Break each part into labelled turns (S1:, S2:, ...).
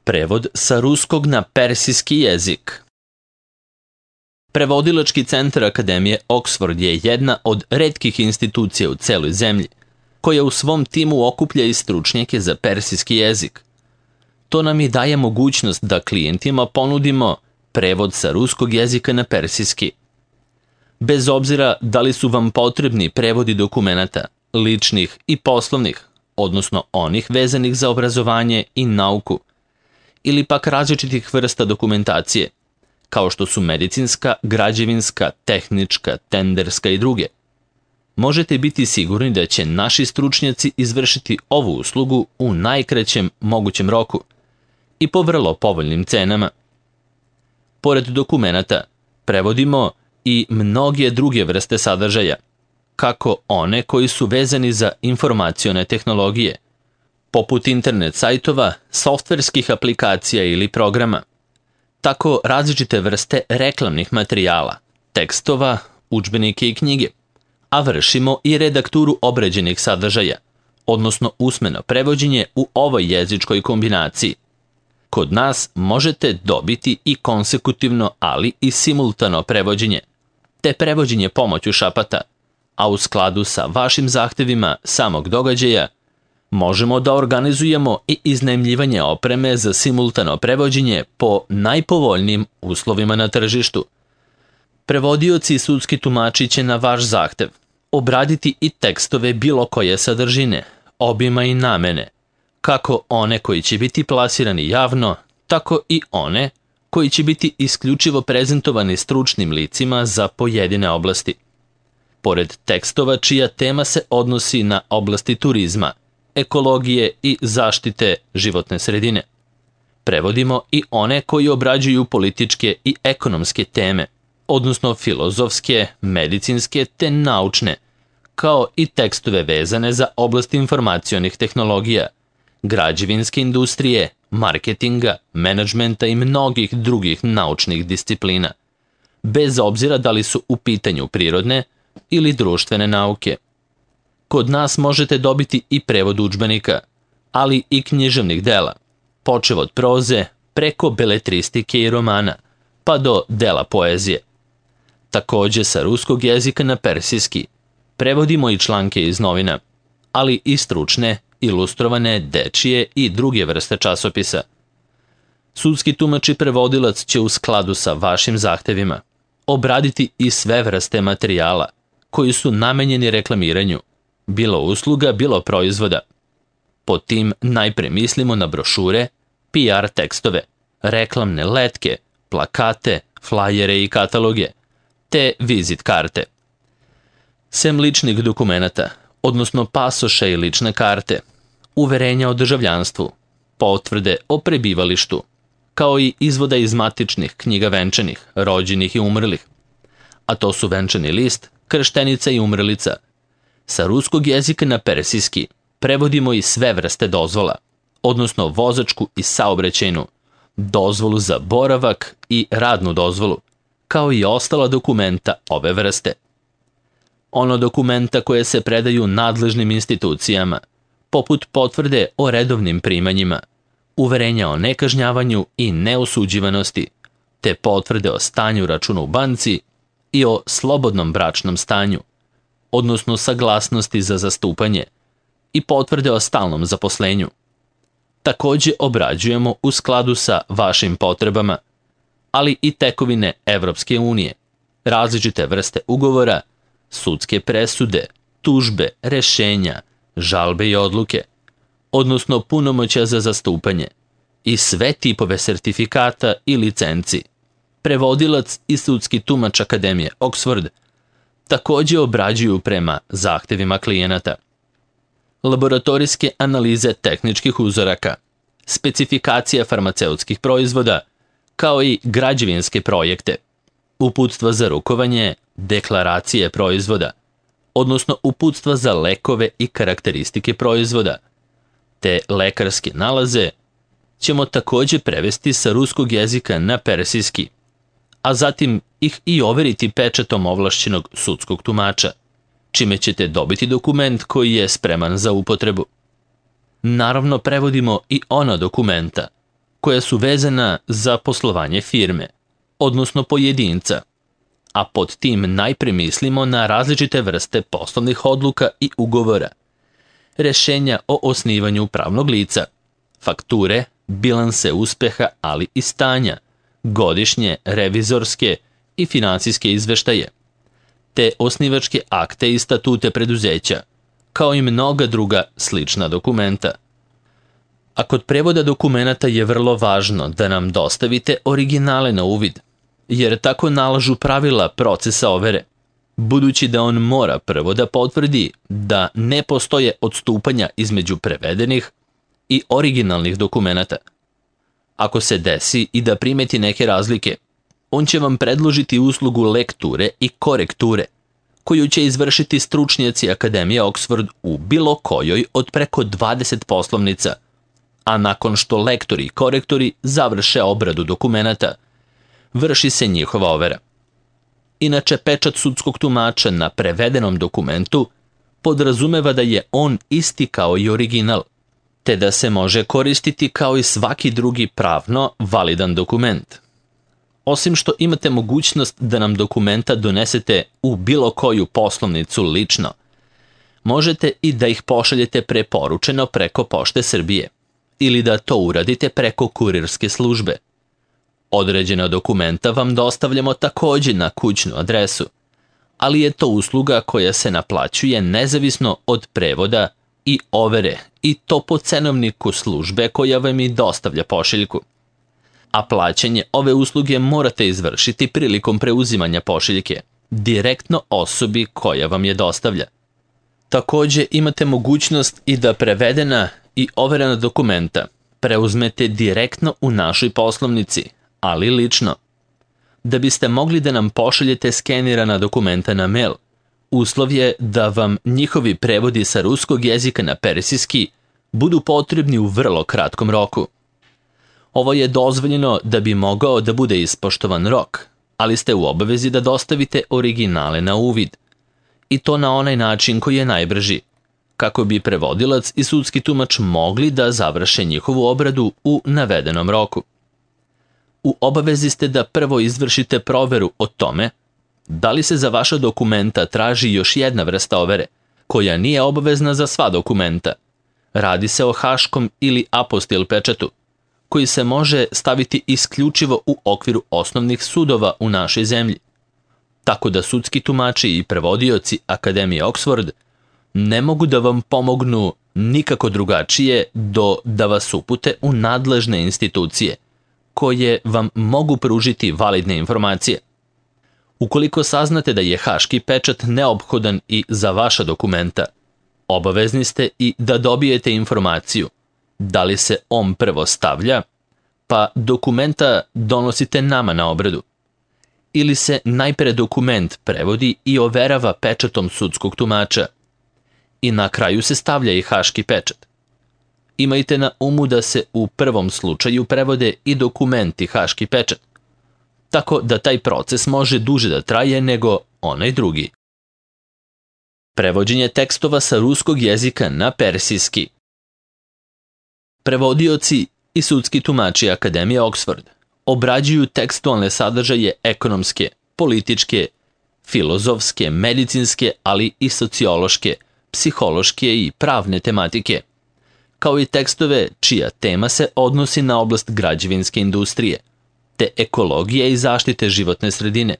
S1: Prevod sa ruskog na persijski jezik. Prevodilački centar Akademije Oxford je jedna od retkih institucija u celoj zemlji, koja u svom timu okuplja i stručnjake za persijski jezik. To nam i daje mogućnost da klijentima ponudimo prevod sa ruskog jezika na persijski. Bez obzira da li su vam potrebni prevodi dokumenata, ličnih i poslovnih, odnosno onih vezanih za obrazovanje i nauku, ili pak različitih vrsta dokumentacije, kao što su medicinska, građevinska, tehnička, tenderska i druge. Možete biti sigurni da će naši stručnjaci izvršiti ovu uslugu u najkraćem mogućem roku i po vrlo povoljnim cenama. Pored dokumenata, prevodimo i mnoge druge vrste sadržaja, kako one koji su vezani za informacione tehnologije, poput internet sajtova, softverskih aplikacija ili programa, tako različite vrste reklamnih materijala, tekstova, udžbenike i knjige, a vršimo i redakturu obrađenih sadržaja, odnosno usmeno prevođenje u ovoj jezičkoj kombinaciji. Kod nas možete dobiti i konsekutivno, ali i simultano prevođenje, te prevođenje pomoću šapata, a u skladu sa vašim zahtevima samog događaja, možemo da organizujemo i iznajmljivanje opreme za simultano prevođenje po najpovoljnijim uslovima na tržištu. Prevodioci i sudski tumači će na vaš zahtev obraditi i tekstove bilo koje sadržine, obima i namene, kako one koji će biti plasirani javno, tako i one koji će biti isključivo prezentovani stručnim licima za pojedine oblasti. Pored tekstova čija tema se odnosi na oblasti turizma, ekologije i zaštite životne sredine. Prevodimo i one koji obrađuju političke i ekonomske teme, odnosno filozofske, medicinske te naučne, kao i tekstove vezane za oblast informacionih tehnologija, građevinske industrije, marketinga, menadžmenta i mnogih drugih naučnih disciplina, bez obzira da li su u pitanju prirodne ili društvene nauke. Kod nas možete dobiti i prevod udžbenika, ali i književnih dela, počev od proze, preko beletristike i romana, pa do dela poezije. Takođe sa ruskog jezika na persijski prevodimo i članke iz novina, ali i stručne, ilustrovane, dečije i druge vrste časopisa. Sudski tumač i prevodilac će u skladu sa vašim zahtevima obraditi i sve vrste materijala koji su namenjeni reklamiranju, bilo usluga, bilo proizvoda. Pod tim najpre mislimo na brošure, PR tekstove, reklamne letke, plakate, flajere i kataloge, te vizit karte. Sem ličnih dokumenata, odnosno pasoša i lične karte, uverenja o državljanstvu, potvrde o prebivalištu, kao i izvoda iz matičnih knjiga venčanih, rođenih i umrlih, a to su venčani list, krštenica i umrlica. Sa ruskog jezika na persijski prevodimo i sve vrste dozvola, odnosno vozačku i saobraćajnu, dozvolu za boravak i radnu dozvolu, kao i ostala dokumenta ove vrste. Ono dokumenta koje se predaju nadležnim institucijama, poput potvrde o redovnim primanjima, uverenja o nekažnjavanju i neosuđivanosti, te potvrde o stanju računa u banci i o slobodnom bračnom stanju, odnosno saglasnosti za zastupanje i potvrde o stalnom zaposlenju. Takođe obrađujemo u skladu sa vašim potrebama, ali i tekovine Evropske unije, različite vrste ugovora, sudske presude, tužbe, rešenja, žalbe i odluke, odnosno punomoćja za zastupanje i sve tipove sertifikata i licenci. Prevodilac i sudski tumač Akademije Oxford takođe obrađuju prema zahtevima klijenata. Laboratorijske analize tehničkih uzoraka, specifikacija farmaceutskih proizvoda, kao i građevinske projekte, uputstva za rukovanje, deklaracije proizvoda, odnosno uputstva za lekove i karakteristike proizvoda, te lekarske nalaze ćemo takođe prevesti sa ruskog jezika na persijski, a zatim ih i overiti pečatom ovlašćenog sudskog tumača, čime ćete dobiti dokument koji je spreman za upotrebu. Naravno, prevodimo i ona dokumenta, koja su vezana za poslovanje firme, odnosno pojedinca, a pod tim najpre mislimo na različite vrste poslovnih odluka i ugovora, rešenja o osnivanju pravnog lica, fakture, bilanse uspeha, ali i stanja, godišnje, revizorske i finansijske izveštaje, te osnivačke akte i statute preduzeća, kao i mnoga druga slična dokumenta. A kod prevoda dokumenata je vrlo važno da nam dostavite originale na uvid, jer tako nalažu pravila procesa overe, budući da on mora prvo da potvrdi da ne postoje odstupanja između prevedenih i originalnih dokumenata. Ako se desi i da primeti neke razlike, on će vam predložiti uslugu lekture i korekture, koju će izvršiti stručnjaci Akademije Oxford u bilo kojoj od preko 20 poslovnica, a nakon što lektori i korektori završe obradu dokumenata, vrši se njihova overa. Inače, pečat sudskog tumača na prevedenom dokumentu podrazumeva da je on isti kao i original, te da se može koristiti kao i svaki drugi pravno validan dokument. Osim što imate mogućnost da nam dokumenta donesete u bilo koju poslovnicu lično, možete i da ih pošaljete preporučeno preko Pošte Srbije ili da to uradite preko kurirske službe. Određena dokumenta vam dostavljamo takođe na kućnu adresu, ali je to usluga koja se naplaćuje nezavisno od prevoda i overe, i to po cenovniku službe koja vam i dostavlja pošiljku. A plaćanje ove usluge morate izvršiti prilikom preuzimanja pošiljke, direktno osobi koja vam je dostavlja. Takođe imate mogućnost i da prevedena i overena dokumenta preuzmete direktno u našoj poslovnici, ali lično. Da biste mogli da nam pošaljete skenirana dokumenta na mail, uslov je da vam njihovi prevodi sa ruskog jezika na persijski budu potrebni u vrlo kratkom roku. Ovo je dozvoljeno da bi mogao da bude ispoštovan rok, ali ste u obavezi da dostavite originale na uvid, i to na onaj način koji je najbrži, kako bi prevodilac i sudski tumač mogli da završe njihovu obradu u navedenom roku. U obavezi ste da prvo izvršite proveru o tome da li se za vaša dokumenta traži još jedna vrsta overe, koja nije obavezna za sva dokumenta. Radi se o haškom ili apostil pečatu, koji se može staviti isključivo u okviru osnovnih sudova u našoj zemlji. Tako da sudski tumači i prevodioci Akademije Oxford ne mogu da vam pomognu nikako drugačije do da vas upute u nadležne institucije, koje vam mogu pružiti validne informacije. Ukoliko saznate da je haški pečat neophodan i za vaša dokumenta, obavezni ste i da dobijete informaciju da li se on prvo stavlja, pa dokumenta donosite nama na obradu, ili se najpre dokument prevodi i overava pečatom sudskog tumača, i na kraju se stavlja i haški pečat. Imajte na umu da se u prvom slučaju prevode i dokument i haški pečat, tako da taj proces može duže da traje nego onaj drugi. Prevođenje tekstova sa ruskog jezika na persijski. Prevodioci i sudski tumači Akademije Oxford obrađuju tekstualne sadržaje ekonomske, političke, filozofske, medicinske, ali i sociološke, psihološke i pravne tematike, kao i tekstove čija tema se odnosi na oblast građevinske industrije, te ekologije i zaštite životne sredine,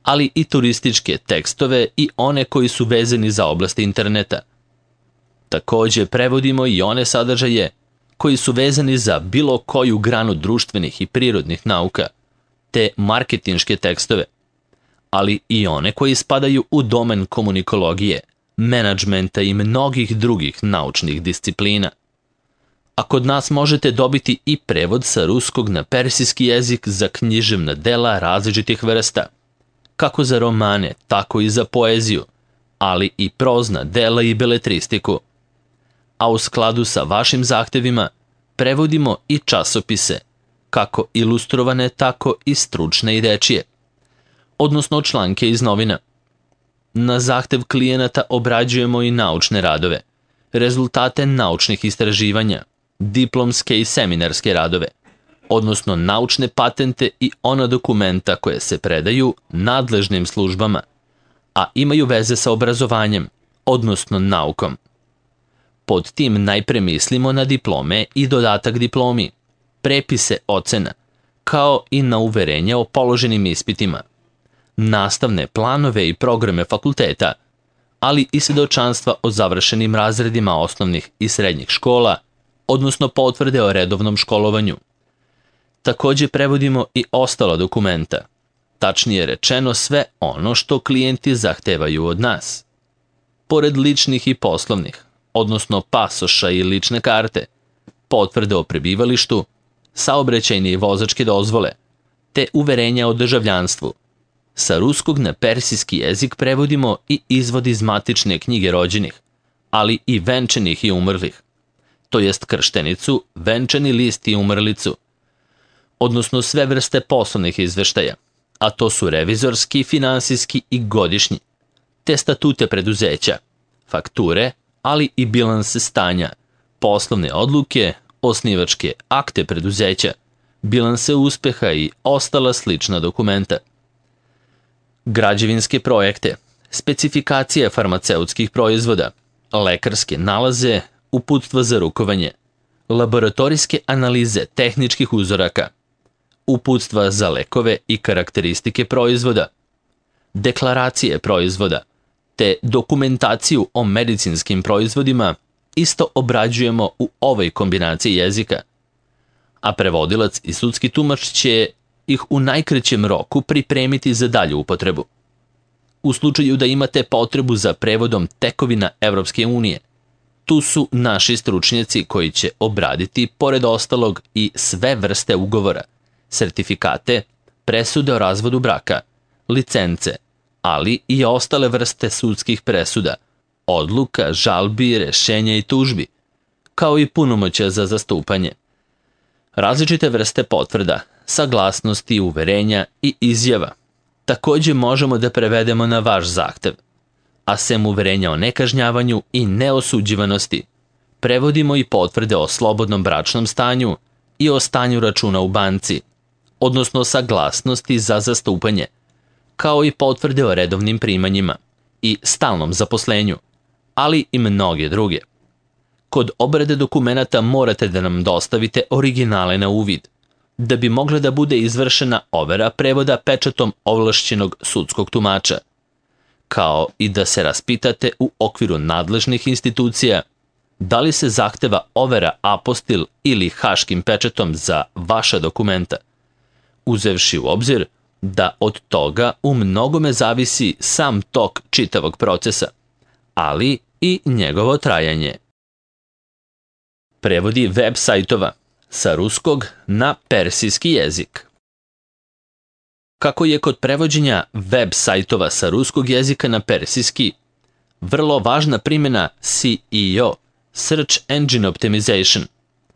S1: ali i turističke tekstove i one koji su vezani za oblast interneta. Takođe prevodimo i one sadržaje koji su vezani za bilo koju granu društvenih i prirodnih nauka, te marketinške tekstove, ali i one koji spadaju u domen komunikologije, menadžmenta i mnogih drugih naučnih disciplina. A kod nas možete dobiti i prevod sa ruskog na persijski jezik za književna dela različitih vrsta, kako za romane, tako i za poeziju, ali i prozna dela i beletristiku. A u skladu sa vašim zahtevima prevodimo i časopise, kako ilustrovane, tako i stručne i dečije, odnosno članke iz novina. Na zahtev klijenata obrađujemo i naučne radove, rezultate naučnih istraživanja, diplomske i seminarske radove, odnosno naučne patente i ona dokumenta koje se predaju nadležnim službama, a imaju veze sa obrazovanjem, odnosno naukom. Pod tim najpre mislimo na diplome i dodatak diplomi, prepise ocena, kao i na uverenja o položenim ispitima, nastavne planove i programe fakulteta, ali i svedočanstva o završenim razredima osnovnih i srednjih škola, odnosno potvrde o redovnom školovanju. Takođe prevodimo i ostala dokumenta, tačnije rečeno sve ono što klijenti zahtevaju od nas. Pored ličnih i poslovnih, odnosno pasoša i lične karte, potvrde o prebivalištu, saobraćajne i vozačke dozvole, te uverenja o državljanstvu. Sa ruskog na persijski jezik prevodimo i izvod iz matične knjige rođenih, ali i venčanih i umrlih, to jest krštenicu, venčani list i umrlicu, odnosno sve vrste poslovnih izveštaja, a to su revizorski, finansijski i godišnji, te statute preduzeća, fakture, ali i bilanse stanja, poslovne odluke, osnivačke akte preduzeća, bilanse uspeha i ostala slična dokumenta. Građevinske projekte, specifikacije farmaceutskih proizvoda, lekarske nalaze, uputstva za rukovanje, laboratorijske analize tehničkih uzoraka, uputstva za lekove i karakteristike proizvoda, deklaracije proizvoda, te dokumentaciju o medicinskim proizvodima isto obrađujemo u ovoj kombinaciji jezika, a prevodilac i sudski tumač će ih u najkraćem roku pripremiti za dalju upotrebu. U slučaju da imate potrebu za prevodom tekovina Evropske unije, tu su naši stručnjaci koji će obraditi, pored ostalog, i sve vrste ugovora, sertifikate, presude o razvodu braka, licence, ali i ostale vrste sudskih presuda, odluka, žalbi, rešenja i tužbi, kao i punomoćja za zastupanje. Različite vrste potvrda, saglasnosti, uverenja i izjava takođe možemo da prevedemo na vaš zahtev, a sem uverenja o nekažnjavanju i neosuđivanosti, prevodimo i potvrde o slobodnom bračnom stanju i o stanju računa u banci, odnosno saglasnosti za zastupanje, kao i potvrde o redovnim primanjima i stalnom zaposlenju, ali i mnoge druge. Kod obrade dokumenata morate da nam dostavite originale na uvid, da bi mogla da bude izvršena overa prevoda pečatom ovlašćenog sudskog tumača, kao i da se raspitate u okviru nadležnih institucija da li se zahteva overa apostil ili haškim pečatom za vaša dokumenta, uzevši u obzir da od toga u mnogome zavisi sam tok čitavog procesa, ali i njegovo trajanje. Prevodi web sajtova sa ruskog na persijski jezik. Kako je kod prevođenja web sajtova sa ruskog jezika na persijski vrlo važna primjena SEO, Search Engine Optimization,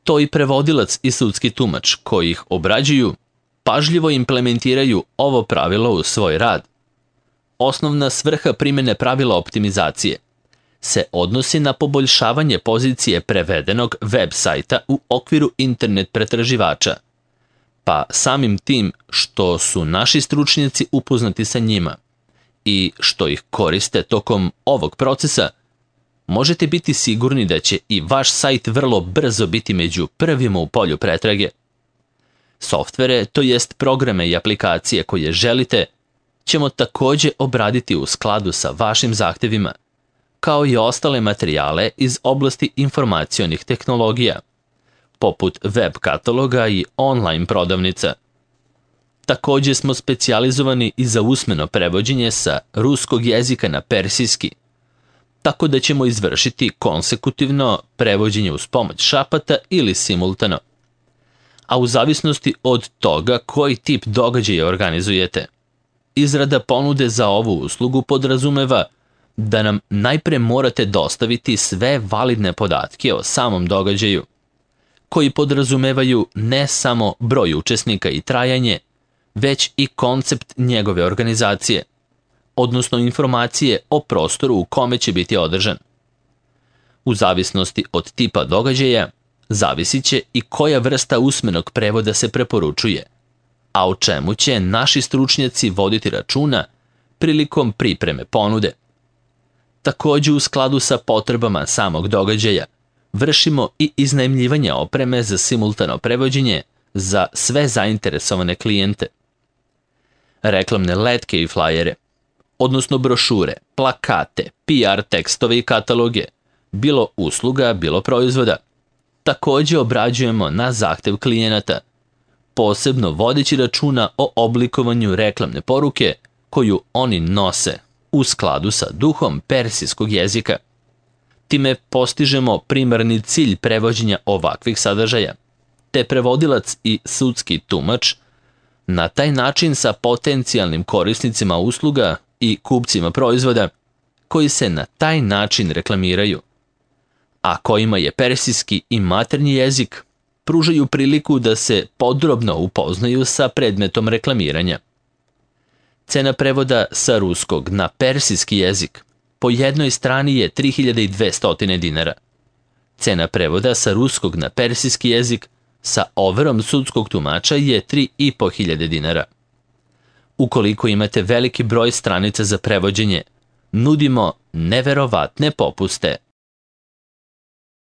S1: to i prevodilac i sudski tumač koji ih obrađuju pažljivo implementiraju ovo pravilo u svoj rad. Osnovna svrha primjene pravila optimizacije se odnosi na poboljšavanje pozicije prevedenog web sajta u okviru internet pretraživača, pa samim tim što su naši stručnjaci upoznati sa njima i što ih koriste tokom ovog procesa, možete biti sigurni da će i vaš sajt vrlo brzo biti među prvima u polju pretrage. Softvere, to jest programe i aplikacije koje želite, ćemo takođe obraditi u skladu sa vašim zahtevima, kao i ostale materijale iz oblasti informacionih tehnologija, poput web kataloga i online prodavnica. Takođe smo specijalizovani i za usmeno prevođenje sa ruskog jezika na persijski, tako da ćemo izvršiti konsekutivno prevođenje uz pomoć šapata ili simultano, a u zavisnosti od toga koji tip događaja organizujete. Izrada ponude za ovu uslugu podrazumeva da nam najpre morate dostaviti sve validne podatke o samom događaju, koji podrazumevaju ne samo broj učesnika i trajanje, već i koncept njegove organizacije, odnosno informacije o prostoru u kome će biti održan. U zavisnosti od tipa događaja, zavisit će i koja vrsta usmenog prevoda se preporučuje, a o čemu će naši stručnjaci voditi računa prilikom pripreme ponude. Također, u skladu sa potrebama samog događaja, vršimo i iznajmljivanje opreme za simultano prevođenje za sve zainteresovane klijente. Reklamne letke i flajere, odnosno brošure, plakate, PR tekstove i kataloge, bilo usluga, bilo proizvoda, također obrađujemo na zahtev klijenata, posebno vodeći računa o oblikovanju reklamne poruke koju oni nose u skladu sa duhom persijskog jezika. Time postižemo primarni cilj prevođenja ovakvih sadržaja, te prevodilac i sudski tumač na taj način sa potencijalnim korisnicima usluga i kupcima proizvoda koji se na taj način reklamiraju, a kojima je persijski i maternji jezik, pružaju priliku da se podrobno upoznaju sa predmetom reklamiranja. Cena prevoda sa ruskog na persijski jezik po jednoj strani je 3200 dinara. Cena prevoda sa ruskog na persijski jezik sa overom sudskog tumača je 3500 dinara. Ukoliko imate veliki broj stranica za prevođenje, nudimo neverovatne popuste.